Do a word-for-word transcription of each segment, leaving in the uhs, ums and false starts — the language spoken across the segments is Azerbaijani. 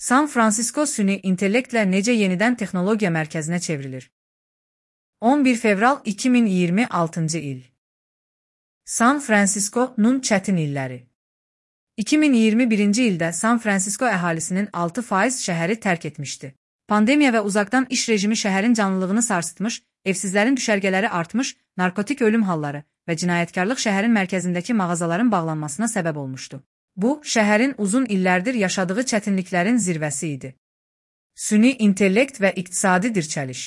San Francisco süni intellektlə necə yenidən texnologiya mərkəzinə çevrilir? on bir fevral iki min iyirmi altıncı il. San Francisco'nun çətin illəri. iki min iyirmi birinci ildə San Francisco əhalisinin altı faiz şəhəri tərk etmişdi. Pandemiya və uzaqdan iş rejimi şəhərin canlılığını sarsıtmış, evsizlərin düşərgələri artmış, narkotik ölüm halları və cinayətkarlıq şəhərin mərkəzindəki mağazaların bağlanmasına səbəb olmuşdu. Bu, şəhərin uzun illərdir yaşadığı çətinliklərin zirvəsi idi. Süni intellekt və iqtisadi dirçəliş.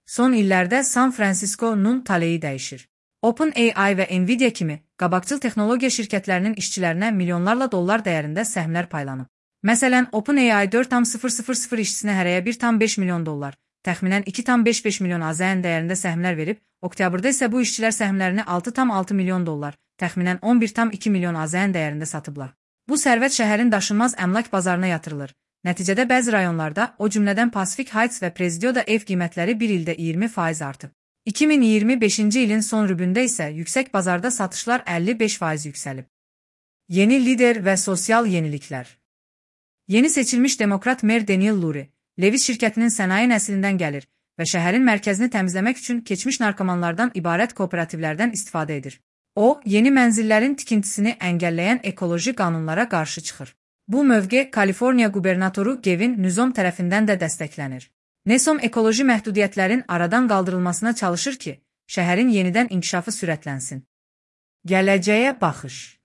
Son illərdə San Francisco'nun taleyi dəyişir. OpenAI və Nvidia kimi qabaqcıl texnologiya şirkətlərinin işçilərinə milyonlarla dollar dəyərində səhmlər paylanıb. Məsələn, OpenAI dörd tam sıfır sıfır sıfır işçisinə hərəyə bir tam beş milyon dollar, təxminən iki tam beş beş milyon AZN dəyərində səhmlər verib, oktyabrda isə bu işçilər səhmlərini altı tam altı milyon dollar, təxminən on bir tam iki milyon AZN dəyərində satıblar. Bu sərvət şəhərin daşınmaz əmlak bazarına yatırılır. Nəticədə bəzi rayonlarda, o cümlədən Pacific Heights və Presidio'da ev qiymətləri bir ildə iyirmi faiz artıb. iki min iyirmi beşinci ilin son rübündə isə yüksək bazarda satışlar əlli beş faiz yüksəlib. Yeni lider və sosial yeniliklər. Yeni seçilmiş demokrat mer Daniel Lurie, Levis şirkətinin sənaye nəslindən gəlir və şəhərin mərkəzini təmizləmək üçün keçmiş narkomanlardan ibarət kooperativlərdən istifadə edir. O, yeni mənzillərin tikintisini əngəlləyən ekoloji qanunlara qarşı çıxır. Bu mövqe Kaliforniya qubernatoru Gavin Newsom tərəfindən də dəstəklənir. Newsom ekoloji məhdudiyyətlərin aradan qaldırılmasına çalışır ki, şəhərin yenidən inkişafı sürətlənsin. Gələcəyə baxış.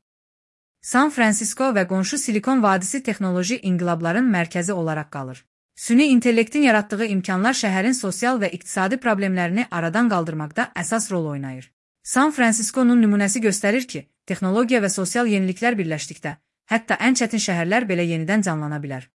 San Francisco və qonşu Silikon vadisi texnoloji inqilabların mərkəzi olaraq qalır. Süni intellektin yaratdığı imkanlar şəhərin sosial və iqtisadi problemlərini aradan qaldırmaqda əsas rol oynayır. San Francisco'nun nümunəsi göstərir ki, texnologiya və sosial yeniliklər birləşdikdə, hətta ən çətin şəhərlər belə yenidən canlana bilər.